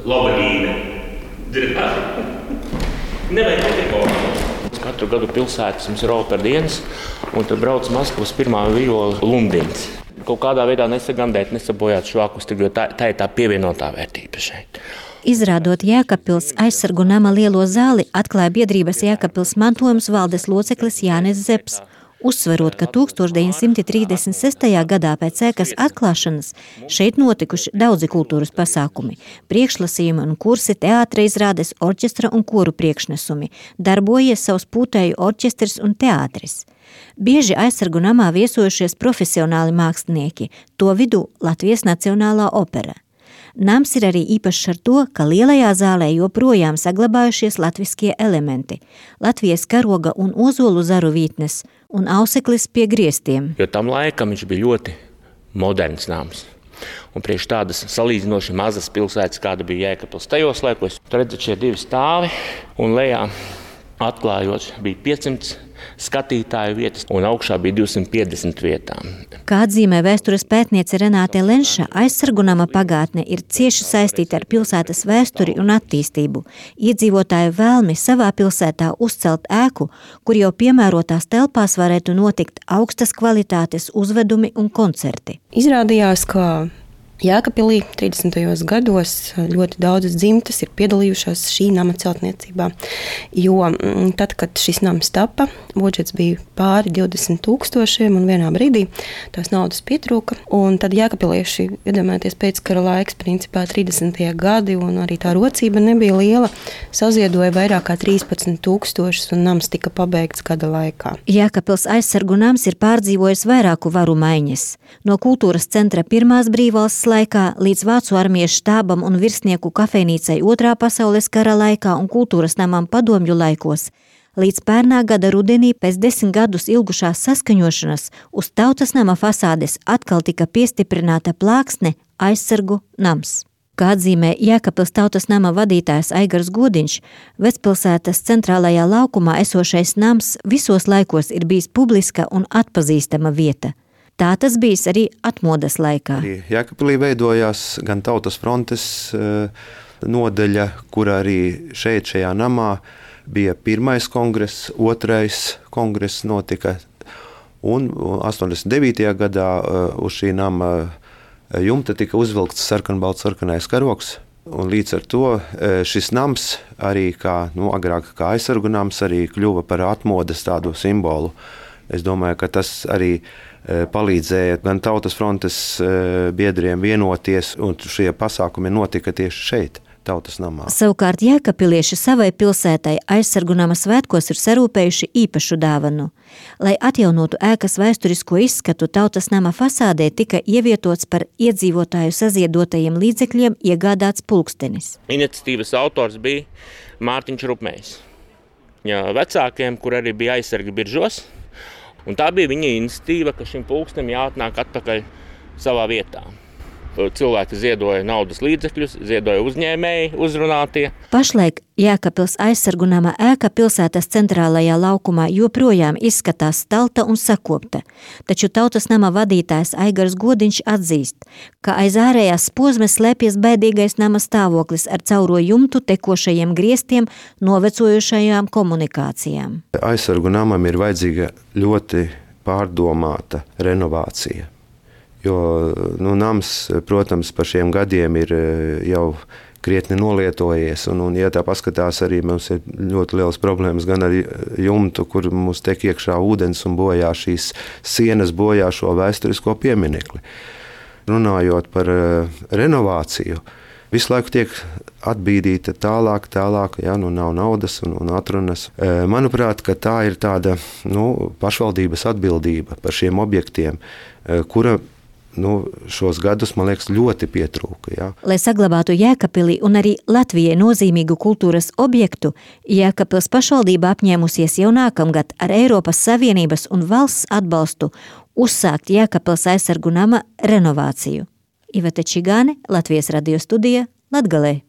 laba līme. Nevajag netikot. Katru gadu pilsētas mums ir operdienas, un tad brauc Maskavas pirmā viola Lundins. Kaut kādā veidā nesagandēt, nesabojāt šo akustiku, jo tā ir tā pievienotā vērtība šeit. Izrādot Jēkabpils aizsargu nama lielo zāli, atklāja biedrības Jēkabpils mantojums valdes loceklis Jānis Zepps, uzsverot, ka 1936. gadā pēc ēkas atklāšanas šeit notikuši daudzi kultūras pasākumi, priekšlasījumi un kursi, teātra izrādes, orķestra un koru priekšnesumi, darbojies savs pūtēju orķestris un teātris. Bieži aizsargu namā viesojušies profesionāli mākslinieki, to vidū Latvijas Nacionālā opera. Nams ir arī īpašs ar to, ka lielajā zālē joprojām saglabājušies latviskie elementi, Latvijas karoga un ozolu zaru vītnes un auseklis pie griestiem. Jo tam laikam viņš bija ļoti moderns nams. Un priekš tādas salīdzinoši mazas pilsētas, kāda bija Jēkabpils tajos laikos, tur redzat šie divi stāvi un lejā atklājot bija 500 skatītāju vietas un augšā bija 250 vietām. Kā atzīmē vēstures pētniece Renāte Lenša, aizsargu nama pagātne ir cieši saistīta ar pilsētas vēsturi un attīstību. Iedzīvotāju vēlmi savā pilsētā uzcelt ēku, kur jau piemērotās telpās varētu notikt augstas kvalitātes uzvedumi un koncerti. Izrādījās, ka Jēkabpilī 30. gados ļoti daudzas dzimtas ir piedalījušās šī nama celtniecībā, jo tad, kad šis nams tapa, budžets bija pāri 20 000 un vienā brīdī tās naudas pietrūka, un tad jēkabpilieši, iedomājieties, pēckara laiks, principā 30. gadi, un arī tā rocība nebija liela, saziedoja vairāk kā 13 000 un nams tika pabeigts gada laikā. Jēkabpils aizsargu nams ir pārdzīvojis vairāku varu maiņas. No kultūras centra pirmās brīvvalsts laikā līdz Vācu armijas štābam un virsnieku kafejnīcai Otrā pasaules kara laikā un kultūras namam padomju laikos, līdz pērnā gada rudenī pēc 10 gadus ilgušās saskaņošanas uz tautas nama fasādes atkal tika piestiprināta plāksne aizsargu nams. Kā atzīmē Jēkabpils tautas nama vadītājs Aigars Godiņš, Vecpilsētas centrālajā laukumā esošais nams visos laikos ir bijis publiska un atpazīstama vieta. Tā tas bijis arī atmodas laikā. Jēkabpilī veidojās gan Tautas frontes nodaļa, kur arī šajā namā bija pirmais kongress, otrais kongress notika, un 89. gadā uz šī nama jumta tika uzvilkts sarkanbalts-sarkanais karogs, un līdz ar to šis nams arī agrāk kā aizsargu nams arī kļuva par atmodas tādu simbolu. Es domāju, ka tas arī palīdzēja gan Tautas frontes biedriem vienoties, un šie pasākumi notika tieši šeit, Tautas namā. Savukārt jēkabpilieši savai pilsētai aizsargu nama svētkos ir sarūpējuši īpašu dāvanu. Lai atjaunotu ēkas vēsturisko izskatu, Tautas nama fasādē tika ievietots par iedzīvotāju saziedotajiem līdzekļiem iegādāts pulkstenis. Iniciatīvas autors bija Mārtiņš Rupmējs. Vecākiem, kur arī bija aizsargi Biržos, un tā bija viņa iniciatīva, ka šim pulkstenim jāatnāk atpakaļ savā vietā. Cilvēki ziedoja naudas līdzekļus, ziedoja uzņēmēji, uzrunātie. Pašlaik Jēkabpils aizsargu nama ēka pilsētas centrālajā laukumā joprojām izskatās stalta un sakopta, taču Tautas nama vadītājs Aigars Godiņš atzīst, ka aiz ārējās posmes slēpjas bēdīgais nama stāvoklis ar cauro jumtu tekošajiem griestiem, novecojušajām komunikācijām. Aizsargu namam ir vajadzīga ļoti pārdomāta renovācija. Jo nams, protams, par šiem gadiem ir jau krietni nolietojies, un ja tā paskatās, arī mums ir ļoti liels problēmas gan ar jumtu, kur mums tek iekšā ūdens un bojā šīs sienas, bojā šo vēsturisko pieminekli. Runājot par renovāciju, visu laiku tiek atbīdīta tālāk, nav naudas un atrunas. Manuprāt, ka tā ir tāda pašvaldības atbildība par šiem objektiem, kura šos gadus, man liekas, ļoti pietrūka. Ja. Lai saglabātu Jēkabpilī un arī Latvijai nozīmīgu kultūras objektu, Jēkabpils pašvaldība apņēmusies jau nākamgad ar Eiropas Savienības un valsts atbalstu uzsākt Jēkabpils aizsargu nama renovāciju. Iveta Čigāne, Latvijas radio studija, Latgalē.